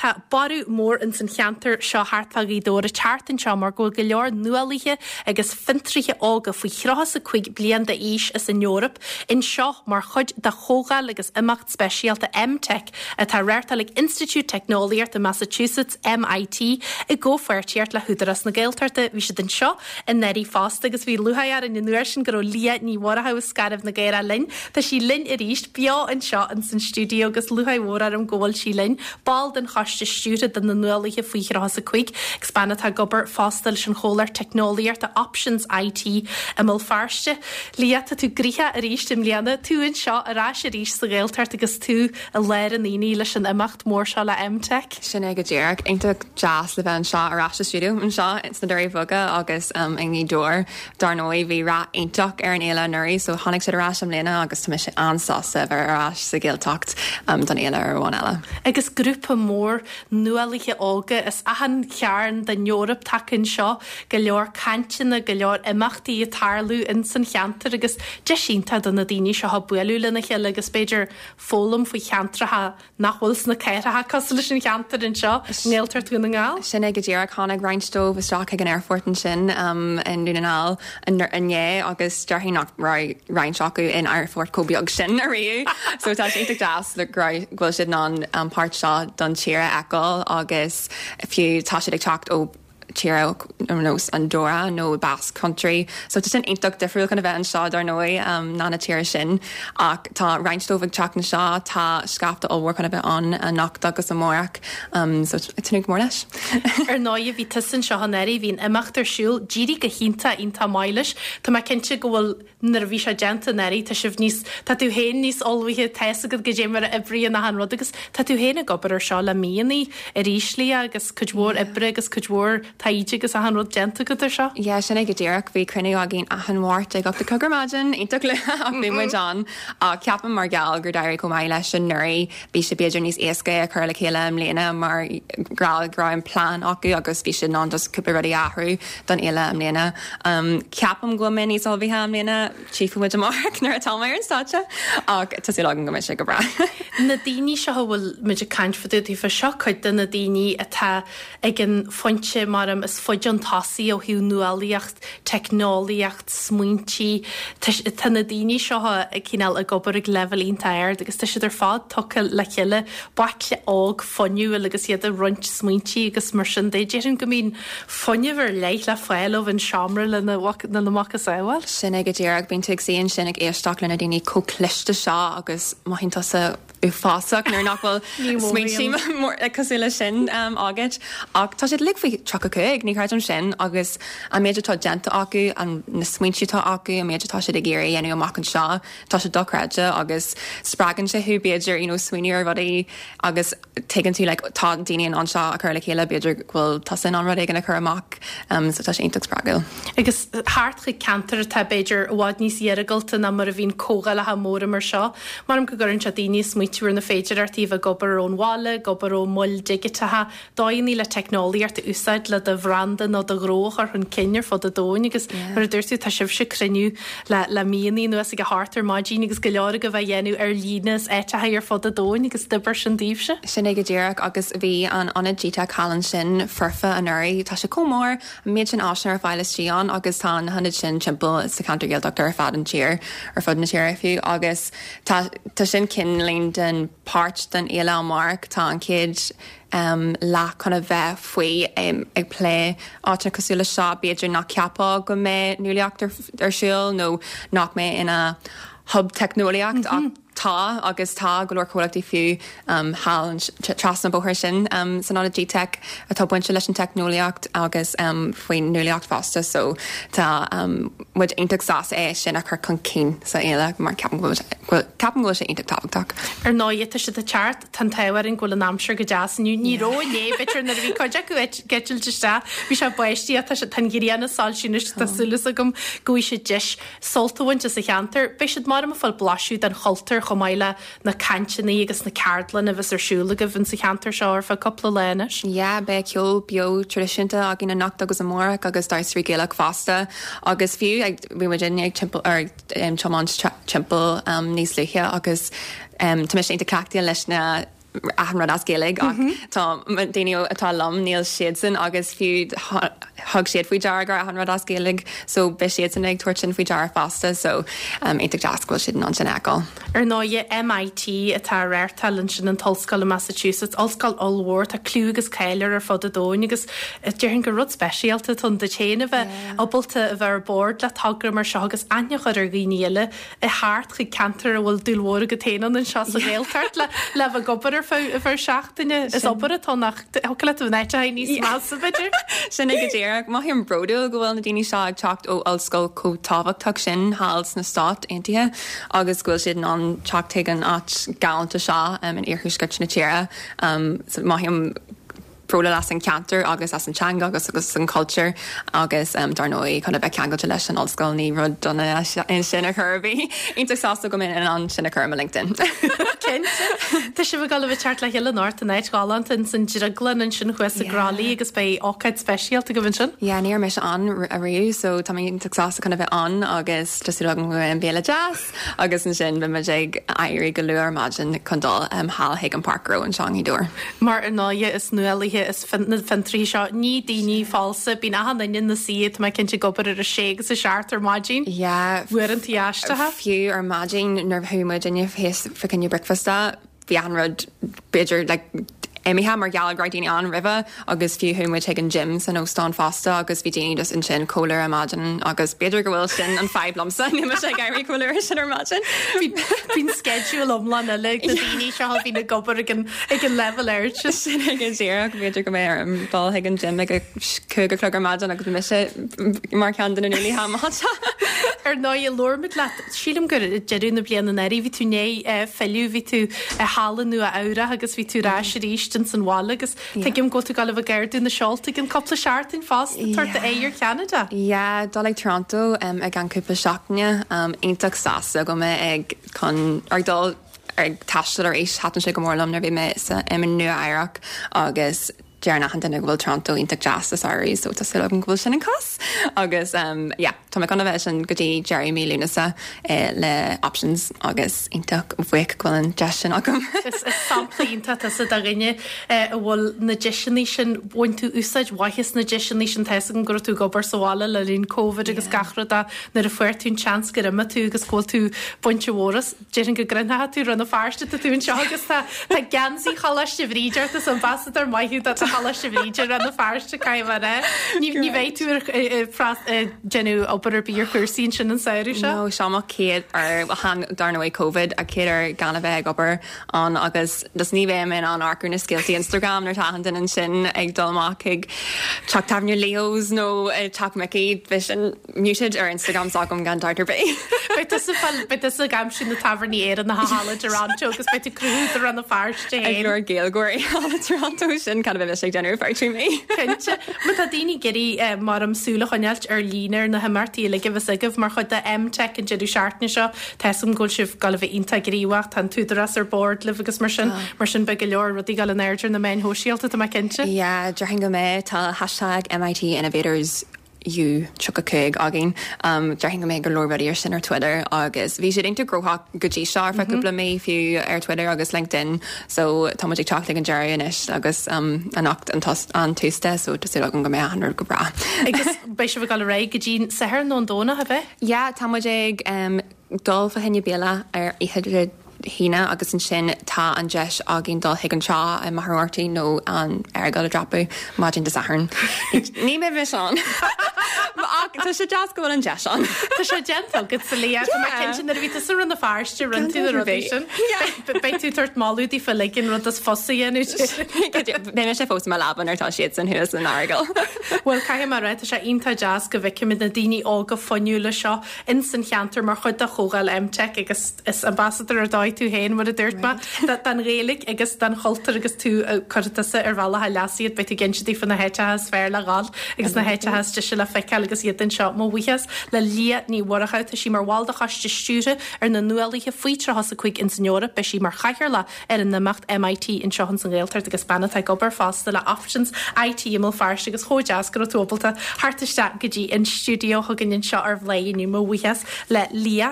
tá borradh mór ins an cheantar seo thart fá Ghaoth Dobhair ag teacht anseo mar go bhfuil go leor nuálaithe agus fiontraithe óga faoi 35 bliain d'aois as an Eoraip anseo mar chuid de chomhdháil agus imeacht speisialta EmTech atá á reáchtáil ag Institiúid Teicneolaíochta Massachusetts, MIT, i gcomhpháirtíocht le hÚdarás na Gaeltachta. Bhí siad anseo anuraidh fosta agus bhí lúcháir orainn an uair sin go raibh Liadh Ní Mhurchú as Scairbh na gCaorach linn. Tá sí linn arís, beo anseo ins an stiúideo agus lúcháir mhór orm go bhfuil sí linn. Ball den choiste stiúrtha do na Nuálaithe faoi 35 agus bean atá ag obair fosta leis an chomhlacht teicneolaíochta Options IT i mBéal Feirste. Liadh, tá tú gnoitheach arís i mbliana, tú anseo ar ais arís sa Ghaeltacht agus tú i lár an aonaigh leis an imeacht mór seo le EmTech. Sin é go díreach. Iontach deas le bheith anseo ar ais sa stiúideo anseo sna Doirí Bheaga agus i nGaoth Dobhair. Dar ndóigh bhí rath iontach ar an fhéile anuraidh so tháinig siad ar ais i mbliana agus tá mise an-sásta a bheith ar ais sa Ghaeltacht don fhéile ar bhonn eile. Agus grúpa mór nuálaithe óga as achan chearn den Eoraip tagtha anseo, go leor cainteanna, go leor imeachtaí ag tarlú ins an cheantar agus deis iontach do na daoine seo bualadh lena chéile agus b'fhéidir foghlaim faoi cheantracha nach bhfuil sna cathracha cosúil leis an cheantar anseo i nGaeltacht Dhún na nGall. Sin é go díreach. Tháinig roinnt dóibh isteach chuig an aerfort ansin i nDún na nGall inné agus déarfainn nach raibh roinnt acu in aerfort chomh beag sin ariamh. So tá sé iontach deas go raibh, go bhfuil siad in ann an páirt seo don tír a fheiceáil agus fiú tá siad ag teacht ó tíortha ar nós Andorra nó Basque Country. So tá sin iontach difriúil chun a bheith anseo dar ndóigh ná na tíortha sin. Ach tá roinnt dóibh ag teacht anseo, tá scaifte ollmhór chun a bheith ann anocht agus amárach. So ag tnúth go mór leis. Ar ndóigh bhí tusa anseo anuraidh, bhí an imeacht ar siúl, d'éirigh go hiontach iontach maith leis. Tá mé cinnte go bhfuil nuair a bhí sé déanta anuraidh, tá sibh níos, tá tú féin níos ullmhaithe, tá fhios agat goidé mar a oibríonn achan rud agus tá tú féin ag obair ar seo le míonna arís, Liadh, agus cuid mhór oibre agus cuid mhór taighde agus achan rud déanta agat ar seo. Yeah, sin é go díreach. Bhí cruinniú againn achan Mháirt ag 8 a chlog ar maidin, iontach luath ach bhí muid ann. Ach ceapaim mar gheall gur d'éirigh chomh maith leis anuraidh, bhí sé b'fhéidir níos éasca é a chur le chéile i mbliana mar gheall go raibh an plean acu agus bhí siad in ann just cúpla rudaí a athrú don fhéile i mbliana. Ceapaim go bhfuil mé níos ullmhaithe i mbliana, tchífidh muid amárach nuair atá mé ar an stáitse, ach tá súil agam go mbeidh sé go breá. Na daoine seo a bhfuil muid ag caint fá dtaobh daofa, seo cuid de na daoine atá ag an phointe mar is faide chun tosaigh ó thaobh nuálaíocht, teicneolaíocht, smaointí. Tá na daoine seo cineál ag obair ag leibhéal iontach ard agus tá siad ar fad tugtha le chéile, baicle óg fuinniúil agus iad ag roinnt smaointí agus mar sin de. Déarfainn go mbíonn fuinneamh ar leith le fáil ó an seomra lena macasamhail. Sin é go díreach. Bíonn tú ag suí ansin ag éisteacht le na daoine chomh cliste seo agus mothaíonn tusa uafásach nuair nach bhfuil smaointe mór cosúil leis sin agat. Ach tá siad uilig faoi 35, ní chreidim sin, agus an méid atá déanta acu, na smaointe atá acu, an méid atá siad ag iarraidh a dhéanamh amach anseo, tá sé dochreidte agus spreagann sé thú b'fhéidir you know smaoineamh ar rudaí agus tuigeann tú like tá daoine in ann seo a chur le chéile, b'fhéidir go bhfuil tusa in ann rud éigin a chur amach so tá sé iontach spreagúil. Agus thart chuig ceantair atá b'fhéidir i bhfad níos iargúlta ná mar a bhíonn comhdhálacha móra mar seo, Maram go gcuireann sé daoine ag smaoitiú ar na féidearthachtaí a bheith ag obair ón bhaile, ag obair ó mhoil dhigiteacha, dóigheanna le teicneolaíocht a úsáid le do bhranda nó do ghnó a chur chun cinn ar fud an domhain agus mar a dúirt tú, tá sibhse ag cruinniú le le míonna anuas ag a hocht ar maidin agus go leor agaibh á dhéanamh ar líne as áiteacha ar fud an domhain agus d'oibir sin daoibhse. Sin é go díreach agus bhí an ionad GTeic thall ansin foirfe anuraidh. Tá sé chomh mór, an méid sin áiseanna ar fáil istigh ann agus tá na hionaid sin timpeall sa cheantar Gaeltachta ar fad an tír, ar fud na tíre fiú agus tá tá sin cineáilín den páirt den fhéile amárach. Tá an chéad leath chun a bheith faoi ag plé áiteanna cosúil le seo, b'fhéidir nach ceapfá go mbeidh nuálaíocht ar siúl nó nach mbeidh ina hub teicneolaíocht ach tá agus tá go leor comhlachtaí fiú thall trasna an bóthar sin san ionad GTeic atá bainte leis an teicneolaíocht agus faoin nuálaíocht fosta so tá muid iontach sásta é sin a chur chun cinn sa fhéile mar ceapaim go bhfuil ceapaim go bhfuil sé iontach tábhachtach. Ar ndóigh, tá siad ag teacht, tá an t-ádh orainn go bhfuil an aimsir go deas inniu. Ní raibh inné, b'fhéidir nuair a bhí cuid acu ag eitilt isteach, bhí sé ag báistí ach tá sé, tá an ghrian ag soilsiú anois, tá súil agam go bhfaighidh siad deis sult a bhaint as an cheantar. Beidh siad maram ag fáil blaiseadh den chultúr chomh maith le na cainteanna agus na ceardlanna a bheas ar siúl agaibh insa cheantar seo ar feadh cúpla lá anois. Yeah, beidh ceol beo traidisiúnta againn anocht agus amárach agus damhsóirí Gaelach fosta agus fiú ag, bhí muid inné ag timpeall, ar ag tiomáint timpeall níos luaithe agus tá mise iontach cleachtaithe leis na. achan rud as Gaeilge ach tá daoine atá liom níl siadsan agus fiú thug siad faoi deara go raibh achan rud as Gaeilge so beidh siadsan ag tabhairt sin faoi deara fosta so iontach deas go bhfuil siad in ann sin a fheiceáil. Ar ndóighe MIT atá á reáchtáil ansin, an t-ollscoil i Massachusetts, ollscoil ollmhór, tá clú agus cáil air ar fud an domhain agus déarfainn gur rud speisialta atá ann duit féin a bheith ábalta a bheith ar bord le togra mar seo agus aithne a chur ar dhaoine eile a theacht chuig ceantar a bhfuil dúil mhór agat féin ann anseo sa Ghaeltacht le le bheith ag obair ar feadh ar feadh seachtaine. Is obair atá ann ach thiocfadh leat a bheith in áiteacha níos measa b'fhéidir. Sin é go díreach. Mothaím bródúil go bhfuil na daoine seo ag teacht ó ollscoil chomh tábhachtach sin thall sna Stáit Aontaithe agus go bhfuil siad in ann teacht chuig an áit ghalánta seo in iarthuaisceart na tíre. Mothaím bródúil as an cheantar agus as an teanga agus agus an cultúr agus dar ndóigh chun a bheith ceangailte leis an ollscoil ní rud dona é sin ar chor ar bith. Iontach sásta go mbeinn in ann sin a chur ar mo LinkedIn. Cinnte. Tá sibh ag dul a bheith ag teacht le chéile anocht in áit ghalánta ins an Drioglann ansin thuas i gCroithlí agus beidh ócáid speisialta agaibh ansin. Yeah, ní raibh mise ann ariamh so tá mé iontach sásta chun a bheith ann agus tá súil agam go mbeidh an béile deas. Agus ansin beidh muid ag éirí go luath ar maidin chun dul thall chuig an Páirc Ghnó anseo i nGaoth Dobhair. Mar ar ndóighe is nuálaithe is na fiontraithe seo, ní daoine falsa, bíonn achan duine ina suí, tá mé cinnte ag obair ar a sé agus a seacht ar maidin. Yeah. Uaireanta aisteacha. Fiú ar maidin nuair a chuaigh muidinne thíos fá choinne bricfeasta, bhí achan rud b'fhéidir like imithe mar gheall go raibh daoine ann roimhe agus fiú chuaigh muid chuig an gym san óstán fosta agus bhí daoine just ansin chomh luath ar maidin agus b'fhéidir go bhfuil sin an fadhb liomsa, níl mise ag éirí chomh luath sin ar maidin. Bíonn sceideal iomlán eile ag na daoine seo a bhíonn ag obair ag an ag an leibhéal ard sin. Sin é go díreach, b'fhéidir go mbeidh orm dul chuig an gym ag a 5 a chlog ar maidin agus beidh mise mar cheann de na nuálaithe amach anseo. Ar ndóigh, labhair muid leat Sílim gur ag deireadh na bliana anuraidh bhí tú i ndiaidh filleadh, bhí tú thall i Nua Eabhrach agus bhí tú ar ais arís ins an bhaile agus tuigim go bhfuil tú ag dul a bheith ag ardú na seolta i gcionn cúpla seachtain fosta, tabhairt d'aghaidh ar Cheanada. Yeah, dul ag Toronto i gceann cúpla seachtaine. Iontach sásta go mbeidh ag chun ag dul ag taisteal arís. Thaitin sé go mór liom nuair a bhí mé sa i Nua Eabhrac agus Deireann achan duine go bhfuil Toronto iontach deas sa samhradh so tá súil agam go bhfuil sin an cás. Agus yeah, tá mé chun a bheith ansin go dtí deireadh mí Lúnasa le Options agus iontach bhuíoch go bhfuil an deis sin agam. Is sampla iontach tusa de dhuine a bhfuil na deiseanna sin, bhain tú úsáid mhaith as na deiseanna sin, tá 'fhios agam go raibh tú ag obair sa bhaile le linn Covid agus gach rud ach nuair a fuair tú an seans gur imigh tú agus go bhfuil tú bainte mhór as. Déarfainn go gcruinneoidh tú Rann na Feirste, tá tú anseo agus tá tá geansaí Choláiste Bhríde ort, is ambasadóir maith thú do Choláiste Bhríde Rann na Feirste, caithfidh mé a rá. Ní ní bheidh tú ar ag déanamh obair ar bith ar chúrsaí ansin an samhradh seo? No, seo mo chéad uair, bhuel dar ndóigh Covid, a chéad uair gan a bheith ag obair ann agus just ní bheidh mé in ann amharc ar na scéaltaí Instagram nuair atá achan duine ansin ag dul amach chuig teach tábhairne Leo's nó teach Mickey, beidh sin muted ar Instagram s'agam gan dabht ar bith. Beidh tusa fáil, beidh tusa ag aimsiú na tábhairní Éireannacha thall i dToronto agus beidh tú ag cruthú do Rann na Feirste féin. Ag lorg Gaeilgeoirí thall i Toronto, sin cad a bheidh mise ag déanamh ar feadh 3 mí. Cinnte. Má tá daoine ag iarraidh mar am súil a choinneáilt ar líne ar na himeachtaí uilig a bheas agaibh mar chuid de MTech an deireadh seachtaine seo, tá 'fhios agam go bhfuil sibh ag dul a bheith iontach gníomhach, tá an tÚdarás ar bord libh agus mar sin, mar sin beidh go leor rudaí ag dul in airde ar na meáin shóisialta, tá mé cinnte. Yeah, déarfainn go mbeidh. Tá hashtag MIT Innovators U35 againn. Déarfainn go mbeidh go leor rudaí ar sin ar Twitter agus bhí siad iontach gnóthach go dtí seo ar feadh cúpla mí fiú ar Twitter agus LinkedIn so tá muid ag teacht ag an deireadh anois agus anocht an an tús de so tá súil agam go mbeidh achan rud go breá. Agus beidh sibh ag dul ar aghaidh go dtí an Satharn nó an Domhnach, ab ea? Yeah, tá muid ag dul fá choinne béile ar oíche Dé hAoine agus ansin tá an deis againn dul chuig an trá i Machaire Rabhartaigh nó an Earagail a dhreapadh maidin Dé Sathairn. Ní bheidh mise ann! Ach tá sé deas go bhfuil an deis ann. Tá sé déanta agat, a Leah. Tá mé cinnte nuair a bhí tusa i Rann na Feirste rinne tú na rudaí sin. Beidh tú ag tabhairt moladh daofa uilig an rud is fusa a dhéanamh. Beidh mise fós i mo leaba nuair atá siadsan thuas in Earagail. Bhuel, caithfidh mé a rá, tá sé iontach deas go bhfeicimid na daoine óga fuinniúla seo ins an cheantar mar chuid de chomhdháil MTech agus is ambasadóir ar dóigh tú féin, mar a dúirt mé, don Ghaeilge agus don chultúr agus tú cuirfidh tusa ar bhealach a leasa iad, beidh tú ag inse daofa na háiteacha is fearr le dhul agus na háiteacha is deise le feiceáil agus iad anseo. Mo bhuíochas le Liadh Ní Mhurchadha, tá sí mar bhall de choiste stiúrtha ar na nuálaithe faoi 35 ins an Eoraip, beidh sí mar chathaoirleach ar an imeacht MIT anseo ins an Ghaeltacht agus bean atá ag obair fosta le Options IT i mBéal Feirste agus chomh deas go raibh tú ábalta theacht isteach go dtí an stiúideo chugainn anseo ar Bhladhaire inniu. Mo bhuíochas le Liadh.